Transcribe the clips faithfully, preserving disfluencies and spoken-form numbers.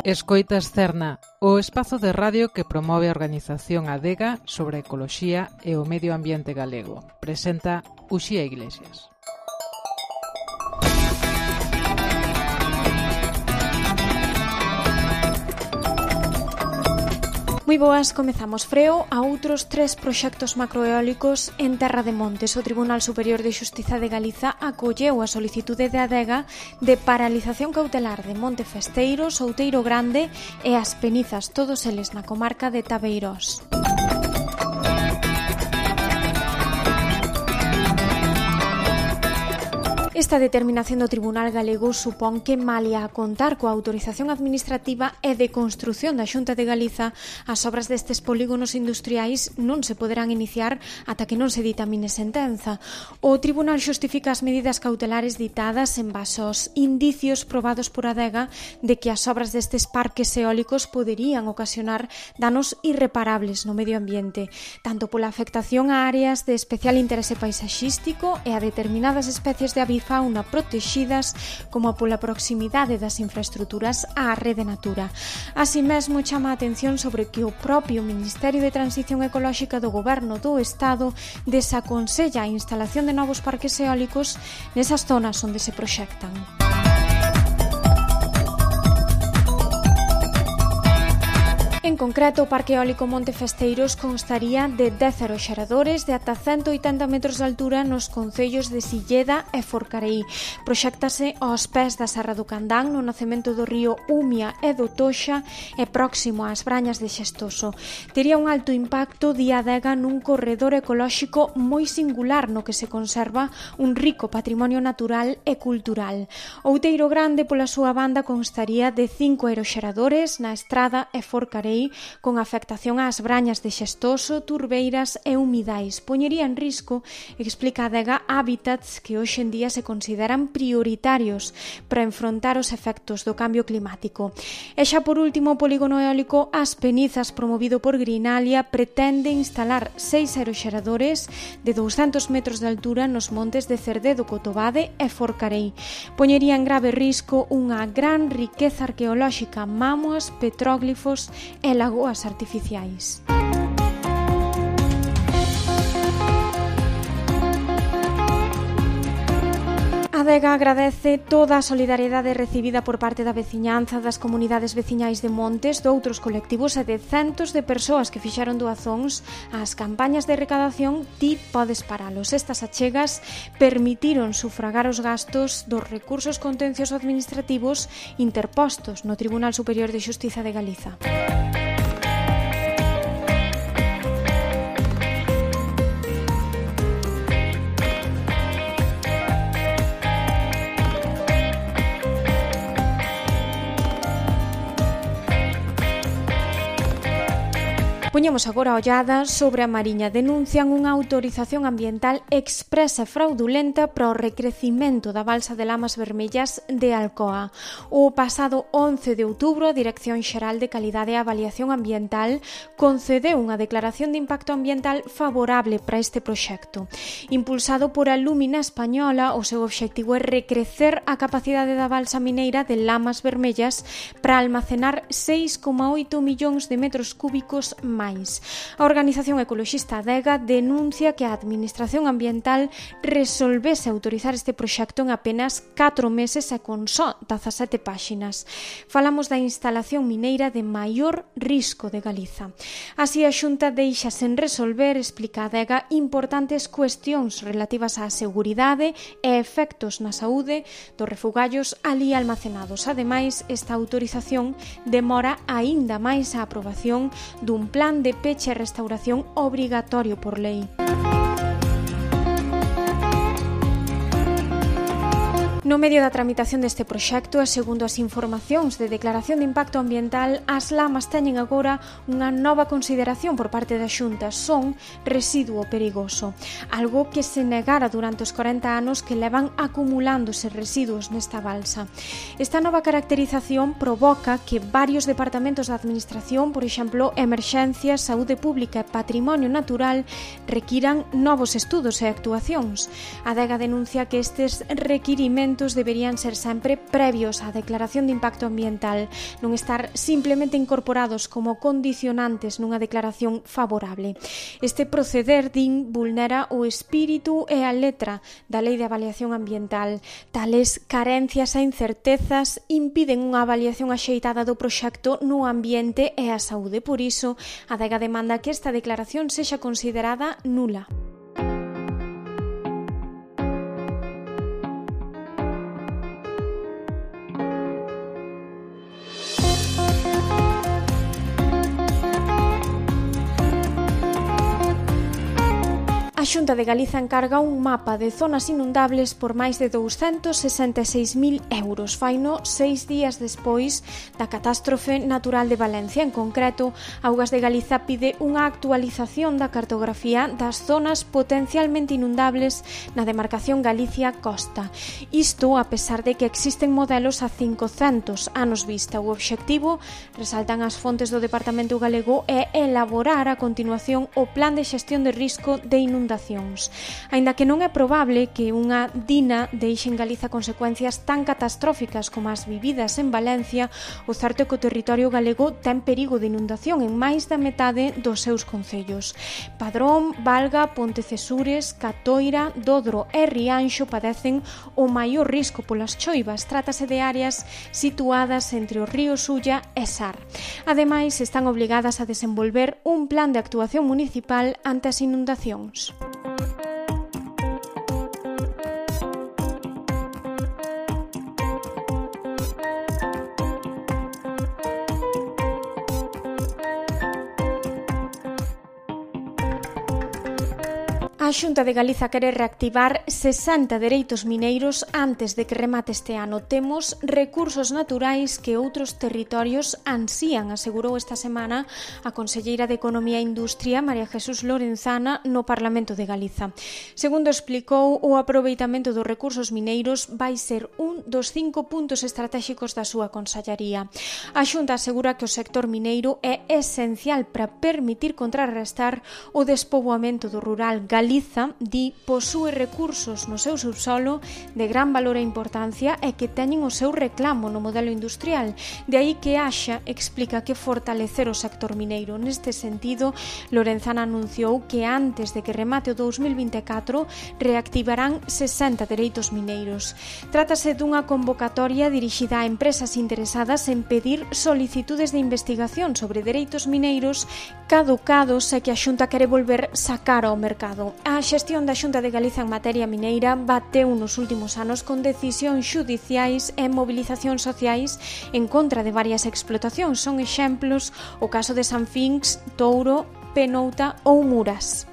Escoitas Cerna, o espazo de radio que promove a organización Adega sobre a ecoloxía e o medio ambiente galego. Presenta Uxía Iglesias. Moi boas, comezamos freo a outros tres proxectos macroeólicos en Terra de Montes. O Tribunal Superior de Xustiza de Galiza acolleu a solicitude de Adega de paralización cautelar de Monte Festeiro, Outeiro Grande e As Penizas, todos eles na comarca de Tabeirós. Esta determinación do Tribunal Galego supón que, malia a contar coa autorización administrativa e de construción da Xunta de Galiza, as obras destes polígonos industriais non se poderán iniciar ata que non se ditamine sentenza. O Tribunal xustifica as medidas cautelares ditadas en base aos indicios probados por Adega de que as obras destes parques eólicos poderían ocasionar danos irreparables no medio ambiente, tanto pola afectación a áreas de especial interese paisaxístico e a determinadas especies de avifauna fauna protexidas como pola proximidade das infraestruturas á rede Natura. Así mesmo chama a atención sobre que o propio Ministerio de Transición Ecolóxica do Goberno do Estado desaconsella a instalación de novos parques eólicos nesas zonas onde se proxectan. En concreto, o Parque Eólico Monte Festeiros constaría de dez aeroxeradores de ata ciento oitenta metros de altura nos concellos de Silleda e Forcarei. Proxéctase aos pés da Serra do Candán, no nacemento do río Umia e do Toxa e próximo ás Brañas de Xestoso. Tería un alto impacto, di Adega, nun corredor ecolóxico moi singular no que se conserva un rico patrimonio natural e cultural. Outeiro Grande, pola súa banda, constaría de cinco aeroxeradores na Estrada e Forcarei, con afectación ás Brañas de Xestoso, Turbeiras e Humidais. Poñería en risco, explica Adega, hábitats que hoxe en día se consideran prioritarios para enfrontar os efectos do cambio climático. E xa por último, o polígono eólico As Penizas, promovido por Greenalia, pretende instalar seis aeroxeradores de douscentos metros de altura nos montes de Cerdedo, Cotobade e Forcarei. Poñería en grave risco unha gran riqueza arqueolóxica, mámoas, petróglifos e lagoas artificiais. Adega agradece toda a solidariedade recibida por parte da veciñanza, das comunidades veciñais de Montes, de outros colectivos e de centos de persoas que fixeron doazóns ás campañas de recadación Ti podes paralos. Estas achegas permitiron sufragar os gastos dos recursos contenciosos administrativos interpostos no Tribunal Superior de Xustiza de Galiza. Poñemos agora a ollada sobre a Mariña. Denuncian unha autorización ambiental expresa e fraudulenta para o recrecimento da balsa de lamas vermellas de Alcoa. O pasado once de outubro, a Dirección Xeral de Calidade e Avaliación Ambiental concedeu unha declaración de impacto ambiental favorable para este proxecto. Impulsado por a Lumina Española, o seu obxectivo é recrecer a capacidade da balsa mineira de lamas vermellas para almacenar seis coma oito millóns de metros cúbicos máis. A organización ecoloxista Adega denuncia que a Administración Ambiental resolvese autorizar este proxecto en apenas catro meses e con só dezasete páxinas. Falamos da instalación mineira de maior risco de Galiza. Así, a Xunta deixa sen resolver, explica Adega, importantes cuestións relativas á seguridade e efectos na saúde dos refugallos ali almacenados. Ademais, esta autorización demora aínda máis a aprobación dun plan de peche e restauración obrigatorio por lei. No medio da tramitación deste proxecto e segundo as informacións de declaración de impacto ambiental, as lamas teñen agora unha nova consideración por parte da Xunta. Son residuo perigoso, algo que se negara durante os corenta anos que levan acumulándose residuos nesta balsa. Esta nova caracterización provoca que varios departamentos da Administración, por exemplo, Emerxencias, Saúde Pública e Patrimonio Natural, requiran novos estudos e actuacións. A Adega denuncia que estes requirimentos procedementos deberían ser sempre previos á declaración de impacto ambiental, non estar simplemente incorporados como condicionantes nunha declaración favorable. Este proceder, din, vulnera o espírito e a letra da Lei de Avaliación Ambiental. Tales carencias e incertezas impiden unha avaliación axeitada do proxecto no ambiente e a saúde. Por iso, a Adega demanda que esta declaración sexa considerada nula. A Xunta de Galiza encarga un mapa de zonas inundables por máis de douscentos sesenta e seis mil euros. Faino seis días despois da catástrofe natural de Valencia. En concreto, Augas de Galiza pide unha actualización da cartografía das zonas potencialmente inundables na demarcación Galicia-Costa. Isto a pesar de que existen modelos a cincocentos anos vista. O obxectivo, resaltan as fontes do Departamento Galego, é elaborar a continuación o Plan de Xestión de Risco de Inundación. Aínda que non é probable que unha dina deixe en Galiza consecuencias tan catastróficas como as vividas en Valencia, o certo é que o territorio galego ten perigo de inundación en máis da metade dos seus concellos. Padrón, Valga, Pontecesures, Catoira, Dodro e Rianxo padecen o maior risco polas choivas. Trátase de áreas situadas entre o río Sulla e Sar. Ademais, están obrigadas a desenvolver un plan de actuación municipal ante as inundacións. A Xunta de Galiza quere reactivar sesenta dereitos mineiros antes de que remate este ano. Temos recursos naturais que outros territorios ansían, asegurou esta semana a conselleira de Economía e Industria, María Jesús Lorenzana, no Parlamento de Galiza. Segundo explicou, o aproveitamento dos recursos mineiros vai ser un dos cinco puntos estratéxicos da súa consellería. A Xunta asegura que o sector mineiro é esencial para permitir contrarrestar o despoboamento do rural. Galiza di posúe recursos no seu subsolo de gran valor e importancia e que teñen o seu reclamo no modelo industrial. De aí que haxa, explica, que fortalecer o sector mineiro. Neste sentido, Lorenzana anunciou que antes de que remate o dous mil vinte e catro reactivarán sesenta dereitos mineiros. Trátase dunha convocatoria dirixida a empresas interesadas en pedir solicitudes de investigación sobre dereitos mineiros caducados e que a Xunta quere volver sacar ao mercado. A xestión da Xunta de Galiza en materia mineira bateu nos últimos anos con decisións xudiciais e mobilizacións sociais en contra de varias explotacións. Son exemplos o caso de Sanfinx, Touro, Penouta ou Muras.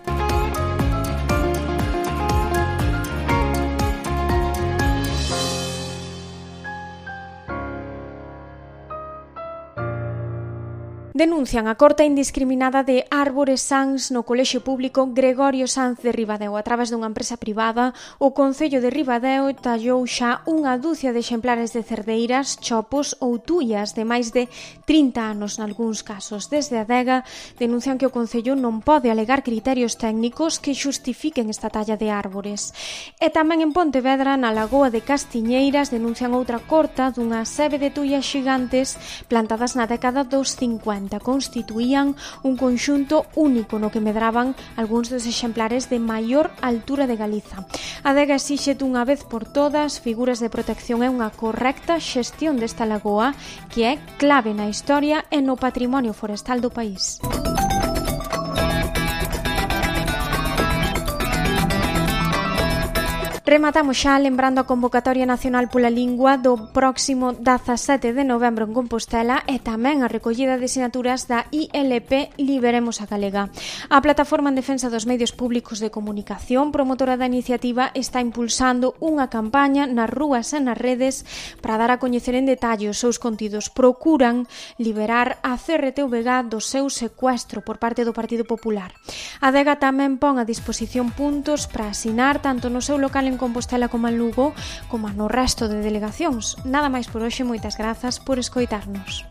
Denuncian a corta indiscriminada de árbores sans no colexio público Gregorio Sanz de Ribadeo. A través dunha empresa privada, o Concello de Ribadeo tallou xa unha dúcia de exemplares de cerdeiras, chopos ou tuyas de máis de trinta anos nalgúns casos. Desde a Adega denuncian que o Concello non pode alegar criterios técnicos que xustifiquen esta talla de árbores. E tamén en Pontevedra, na Lagoa de Castiñeiras, denuncian outra corta dunha sebe de tuyas xigantes plantadas na década dos cincuenta. Constituían un conxunto único no que medraban algúns dos exemplares de maior altura de Galiza. A Adega exixe dunha vez por todas figuras de protección e unha correcta xestión desta lagoa que é clave na historia e no patrimonio forestal do país. Rematamos xa lembrando a convocatoria nacional pola lingua do próximo dezasete de novembro en Compostela e tamén a recollida de sinaturas da I L P Liberemos a Galega. A Plataforma en Defensa dos Medios Públicos de Comunicación, promotora da iniciativa, está impulsando unha campaña nas rúas e nas redes para dar a coñecer en detalle os seus contidos. Procuran liberar a C R T V G do seu secuestro por parte do Partido Popular. A Adega tamén pon a disposición puntos para asinar tanto no seu local en Compostela como en Lugo, como no resto de delegacións. Nada máis por hoxe, moitas grazas por escoitarnos.